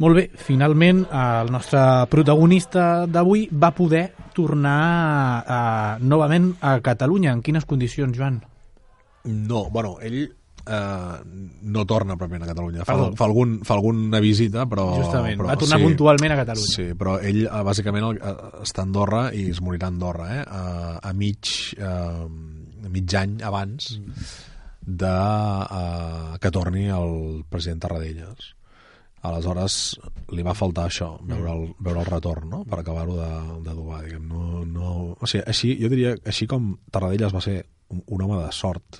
[SPEAKER 3] Molt bé, finalment el nostre protagonista d'avui va poder tornar novament a Catalunya. En quines condicions, Joan?
[SPEAKER 5] No, bueno, ell no torna pròpiament a Catalunya. Fa alguna visita, però...
[SPEAKER 3] Justament, va tornar puntualment a Catalunya.
[SPEAKER 5] Sí, però ell bàsicament està a Andorra i es morirà a Andorra, a mig any abans que torni el president Tarradellas. Aleshores li va faltar això, veure el retorn, no? Per acabar-ho d'adobar, diguem. O sigui, així, jo diria, així com Tarradellas va ser un home de sort,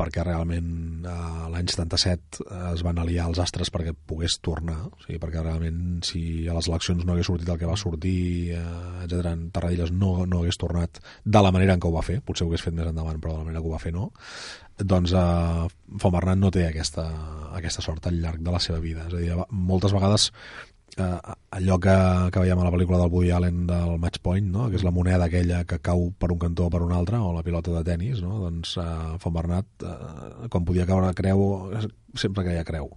[SPEAKER 5] perquè realment l'any 77 es van aliar els astres perquè pogués tornar, o sigui, perquè realment si a les eleccions no hagués sortit el que va sortir, etc., Tarradellas no hagués tornat de la manera en què ho va fer, potser ho hagués fet més endavant, però de la manera que ho va fer no, doncs Fontbernat no té aquesta sort al llarg de la seva vida. És a dir, moltes vegades allò que veiem a la pel·lícula del Woody Allen del Match Point, no? Que és la moneda aquella que cau per un cantó o per un altre, o la pilota de tennis, no? Doncs Fontbernat, quan podia caure creu, sempre caia creu.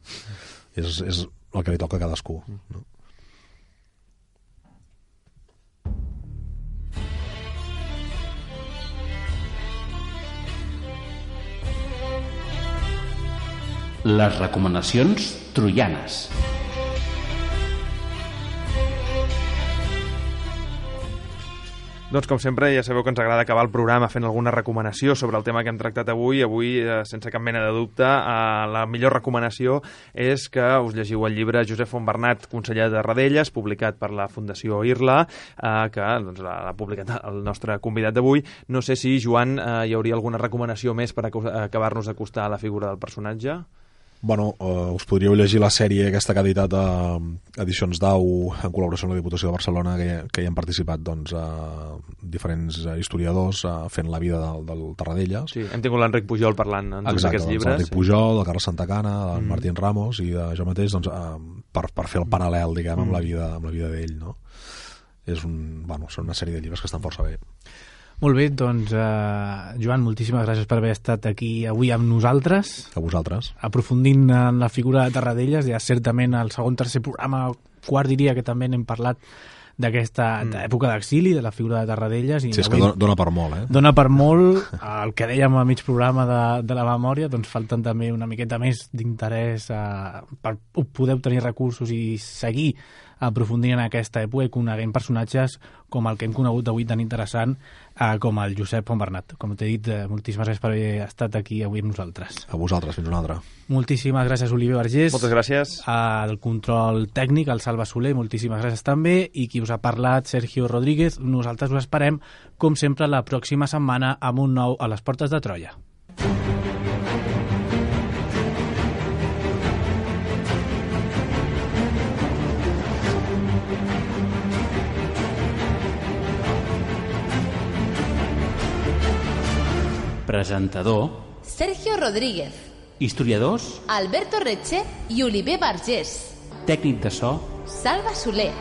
[SPEAKER 5] És el que li toca a cadascú, no?
[SPEAKER 6] Les recomanacions troianes.
[SPEAKER 4] Doncs com sempre ja sabeu que ens agrada acabar el programa fent alguna recomanació sobre el tema que hem tractat avui. Avui, sense cap mena de dubte, la millor recomanació és que us llegiu el llibre Josep Fontbernat, conseller de Tarradellas, publicat per la Fundació Irla, que doncs, l'ha publicat el nostre convidat d'avui. No sé si, Joan, hi hauria alguna recomanació més per acabar-nos d'acostar a la figura del personatge?
[SPEAKER 5] Bueno, us podríeu llegir la sèrie aquesta que ha editat Edicions Dau en col·laboració amb la Diputació de Barcelona, que hi han participat doncs, diferents historiadors fent la vida del Tarradellas.
[SPEAKER 4] Sí, hem tingut l'Enric Pujol parlant en tots aquests llibres.
[SPEAKER 5] L'Enric Pujol, el Carles Santacana, el Martín Ramos i jo mateix doncs, per fer el paral·lel, diguem, amb la vida d'ell, no? Són una sèrie de llibres que estan força bé.
[SPEAKER 3] Molt bé, doncs, Joan, moltíssimes gràcies per haver estat aquí avui amb nosaltres.
[SPEAKER 5] A vosaltres.
[SPEAKER 3] Aprofundint en la figura de Tarradellas, ja certament al segon, tercer programa, quart diria que també n'hem parlat d'aquesta època d'exili, de la figura de Tarradellas.
[SPEAKER 5] Sí, és que dona per molt,
[SPEAKER 3] Dona per molt. El que dèiem a mig programa de la memòria, doncs falten també una miqueta més d'interès per poder obtenir recursos i seguir aprofundint en aquesta època i coneguent personatges com el que hem conegut avui tan interessant com el Josep Fontbernat. Com t'he dit, moltíssimes gràcies per haver estat aquí avui amb nosaltres.
[SPEAKER 5] A vosaltres, fins una altra.
[SPEAKER 3] Moltíssimes gràcies, Oliver Vergés.
[SPEAKER 4] Moltes gràcies.
[SPEAKER 3] Al control tècnic, al Salva Soler, moltíssimes gràcies també. I qui us ha parlat, Sergio Rodríguez. Nosaltres us esperem, com sempre, la pròxima setmana amb un nou A les Portes de Troia.
[SPEAKER 6] Presentador
[SPEAKER 1] Sergio Rodríguez.
[SPEAKER 6] Historiadors
[SPEAKER 1] Alberto Reche i Oliver Vergés.
[SPEAKER 6] Tècnic de so
[SPEAKER 1] Salva Soler.